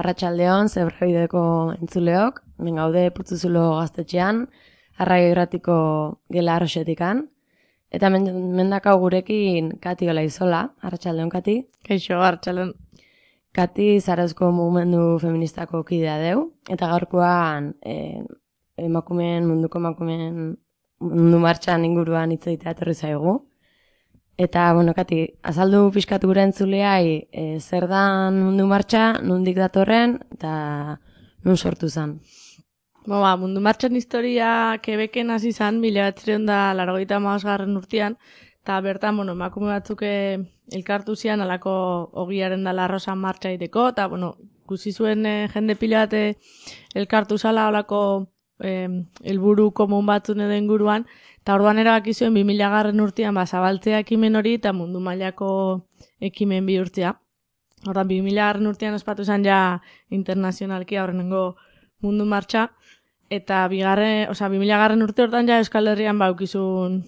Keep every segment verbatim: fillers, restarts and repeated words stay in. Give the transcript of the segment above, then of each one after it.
Arratsaldeon, Zebrabideko entzuleok, hemen gaude Putzuzulo gaztetxean, Arraio Irratiko gela arroxetikan, eta mendakau gurekin Kati Olaizola. Arratsaldeon, Kati. Kaixo, arratsaldeon. Kati Zarauzko mugimendu feministako kidea deu, eta gaurkoan eh, emakumeen, munduko emakumeen mundu martxan inguruan hitz egitea etorri zaigu. Eta, bueno, Kati, azaldu pixkatu gure entzuleai e, zer dan mundu martxa, nundik datorren, eta nun sortu zen. Bo, ba, mundu martxan historia Quebecen hasi zen, mila bederatziehun eta laurogeita hamabosgarren urtean, eta bertan, bueno, emakume batzuk elkartu zian alako ogiaren dala arrosan martxa egiteko, eta, bueno, ikusi zuen e, jende pila bat elkartu zala alako helburu komun batzun edo inguruan, eta orduan erabaki zuen bi mila garren urtean ba, zabaltzea ekimen hori eta mundu mailako ekimen bihurtzea. Orduan bi mila garren urtean ospatu zen ja internazionalki aurrenengo mundu martxa, eta bigarren, osea, bi mila garren urte hortan ja Euskal Herrian baukizun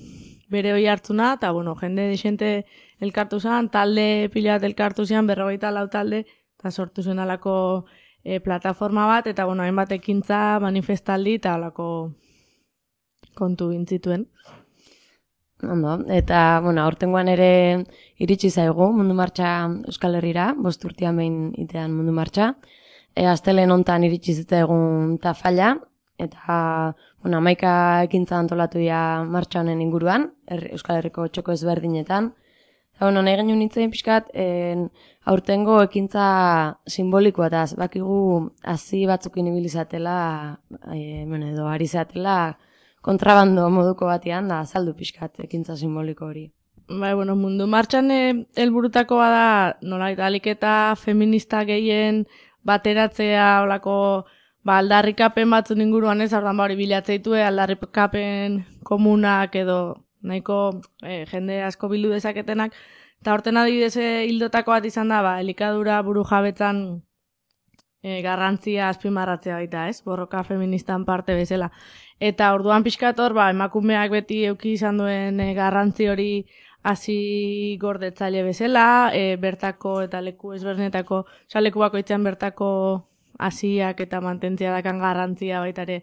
bere hoi hartzuna, eta bueno, jende desente elkartu zen, talde pila bat elkartu zen, berrogeita lau talde, eta sortu zen alako e, plataforma bat, eta bueno, hainbat ekintza, manifestaldi, eta alako kontu gintzituen. Ondo, eta, bueno, aurtengoan ere iritsi zaigu mundu martxa Euskal Herrira, bost urtean behin itean mundu martxa. E, Astelen hontan iritsi zitzaigun tafalla, eta, bueno, hamaika ekintza antolatu ja martxa honen inguruan, er, Euskal Herriko txoko ezberdinetan. Eta, bueno, nahi genuen nintzen pixkat, en, aurtengo ekintza simbolikoa, eta bakigu hazi batzukin ibilizatela, e, bueno, edo ari zatela, kontrabando moduko batean da azaldu pixkat ekintza simboliko hori. Bai, bueno, mundu martxan helburutakoa da nolait ahalik eta feminista gehien bateratzea olako ba aldarrikapen batzun inguruan ez, orduan ba hori bilatzea ditue aldarrikapen komunak edo nahiko eh, jende asko bildu dezaketenak, eta horten adibidez hildotako bat izan da ba elikadura burujabetzan E, garrantzia azpimarratzea baita, ez? Borroka feministan parte bezala. Eta orduan pixkator, ba, emakumeak beti euki izan duen e, garrantzi hori hasi gordetzaile bezala, e, bertako eta leku ezberdinetako, oza, leku bakoitzean bertako hasiak eta mantentzea dakan garrantzia baita ere,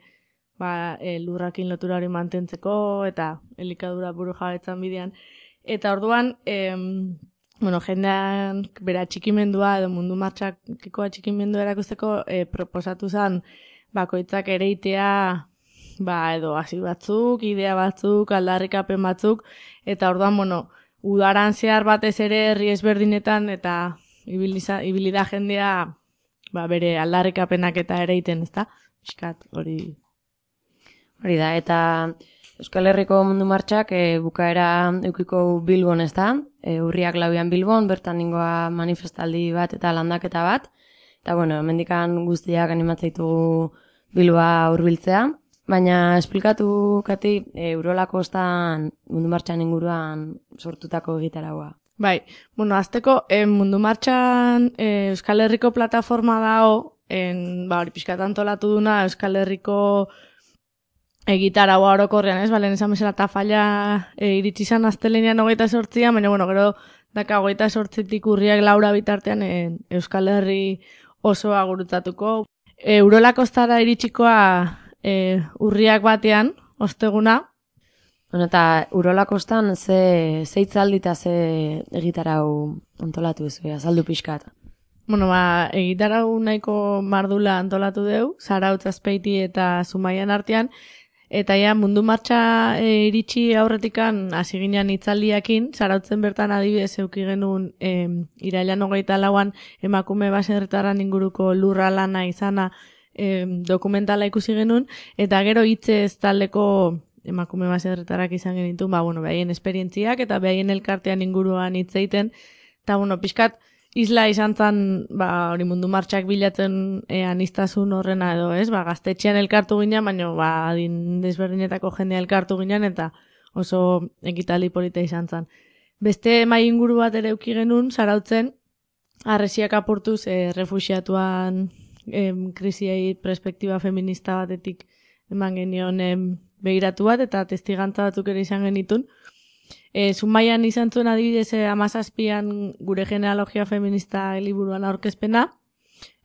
ba, e, lurrakin lotura hori mantentzeko eta elikadura burujabetzan bidean. Eta orduan, em, bueno, jendean bera txikimendua edo mundu martxakiko txikimendua erakusteko e, proposatu zen bakoitzak ereitea ba, edo hasi batzuk, idea batzuk, aldarrikapen batzuk, eta orduan, bueno, udaran zehar batez ere herri ezberdinetan eta ibiliza, ibilida jendea ba, bere aldarrikapenak eta ereiten, ezta? Piskat, hori... Hori da, eta Euskal Herriko mundu martxak e, bukaera eukiko Bilbon, ez da? E, urriak lauian Bilbon, bertan ningoa manifestaldi bat eta landaketa bat. Eta, bueno, hemendikan guztiak animatzaitugu Bilboa hurbiltzea. Baina, esplikatu, Kati, e, Urolako ostan mundu martxan inguruan sortutako egitaragoa. Bai, bueno, azteko, e, mundu martxan e, Euskal Herriko plataforma dao, en, ba, hori pixkat antolatu duna Euskal Herriko egitaragoa orokorrean, ez? Balen esan bezala tafalla e, iritsi zan astelenean hogeita sortzian, baina, bueno, gero daka hogeita sortzitik urriak laura bitartean e, Euskal Herri osoa gurutzatuko. E, Urolakostara iritsikoa e, urriak batean, osteguna. Bueno, eta Urolakostan ze, ze hitzaldi eta ze egitarau antolatu duzu, azaldu pixkat. Bueno, ba, egitarau nahiko mardula antolatu deu, Zarautz, Azpeiti eta Zumaian artean, eta ja, mundu martxa e, iritsi aurretikan hasi ginen hitzaldiakin, Zarautzen bertan adibidez euki genuen e, irailean hogeita lauan emakume baserritarran inguruko lurra lana izana e, dokumentala ikusi genuen, eta gero hitzez taldeko emakume baserritarrak izan genitun, ba, bueno, behaien esperientziak eta behaien elkartean inguruan hitz egiten, eta, bueno, pixkat, isla izan zen, ba, hori mundu martxak bilatzen e, aniztasun horrena edo, ez? Ba, gaztetxean elkartu ginen, baina ba, adin desberdinetako jendea elkartu ginen, eta oso ekitaldi polita izan zen. Beste mai inguru bat ere euki genuen, Zarautzen, harresiak apurtuz e, refuxiatuan e, krisiei perspektiba feminista batetik eman genion e, begiratu bat, eta testigantza batzuk ere izan genitun. E, Zumaian izan zuen adibidez amazazpian gure genealogia feminista liburuan aurkezpena,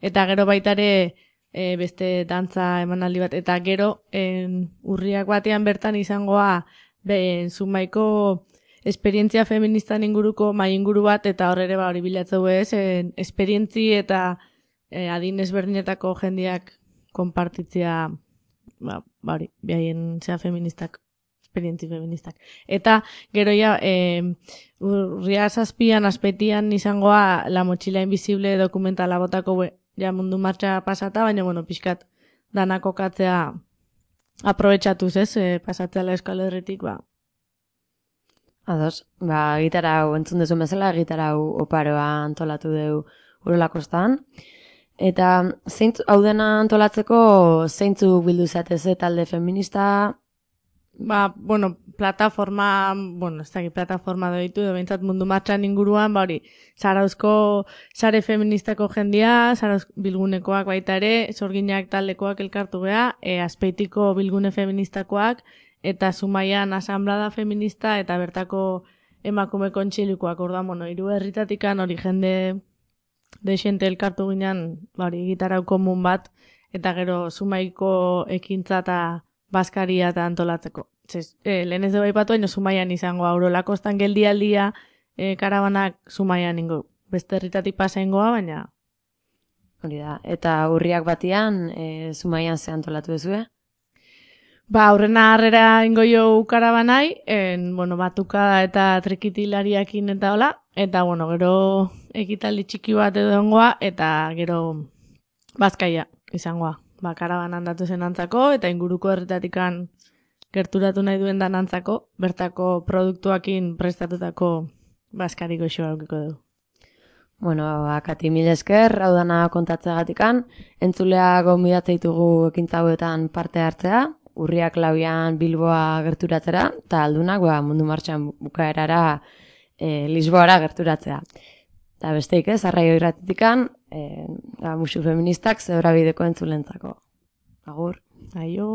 eta gero baitare e, beste dantza emanaldi bat, eta gero en, urriak batean bertan izangoa ben, Zumaiko esperientzia feministan inguruko mai inguru bat, eta hor ere ba hori bilatzeu ez, en, esperientzi eta e, adin ezberdinetako jendeak konpartitzea, ba, ba hori, behaien zea feministak, esperientzi feministak. Eta gero ja, e, urria zazpian, azpetian izangoa La Mochila Invisible dokumentala botako be, ja mundu martxa pasata, baina bueno, pixkat danako katzea aprobetxatuz ez, e, pasatzea la Euskal Herritik, ba. Ados, ba, gitara hau entzun dezun bezala, gitara hau oparoa antolatu deu Urolakostan. Eta zeintzu, hau dena antolatzeko zeintzu bildu zatez talde feminista? Ba, bueno, plataforma, bueno, ez dakit plataforma doitu, edo behintzat mundu martxan inguruan, ba hori, Zarauzko sare feministako jendia, Zarauz bilgunekoak baita ere, Sorginak taldekoak elkartu gea, e, Azpeitiko bilgune feministakoak, eta Zumaian asamblada feminista, eta bertako emakume kontxilikoak, orduan, bueno, hiru herritatikan hori jende deixente elkartu ginen, ba hori, gitarau komun bat, eta gero Zumaiko ekintza eta Baskaria eta antolatzeko. Zez, eh, lehen ez dugu aipatu, haino Zumaian izango Urolakostan geldialdia eh, karabanak Zumaian ingo. Beste herritatik pasa ingoa, baina... Hori da, eta urriak batian eh, Zumaian ze antolatu duzue? Ba, aurrena harrera ingo jo karabanai, en, bueno, batuka eta trikitilariakin eta hola, eta, bueno, gero ekitaldi txiki bat edo ongoa, eta gero Bazkaia izangoa. Ba, karabanan datu zen antzako, eta inguruko herritatikan gerturatu nahi duen dan antzako, bertako produktuakin prestatutako Baskari goxoa aukiko dugu. Bueno, akati mil esker, hau dana kontatzeagatikan, entzulea gonbidatzen ditugu ekintza hauetan parte hartzea, urriak lauian Bilboa gerturatzera, eta aldunak ba, mundu martxan bukaerara e, Lisboara gerturatzea. Eta besteik ez, arraio irratitikan, e, musu feministak zebra bideko entzulentzako. Agur. Aio.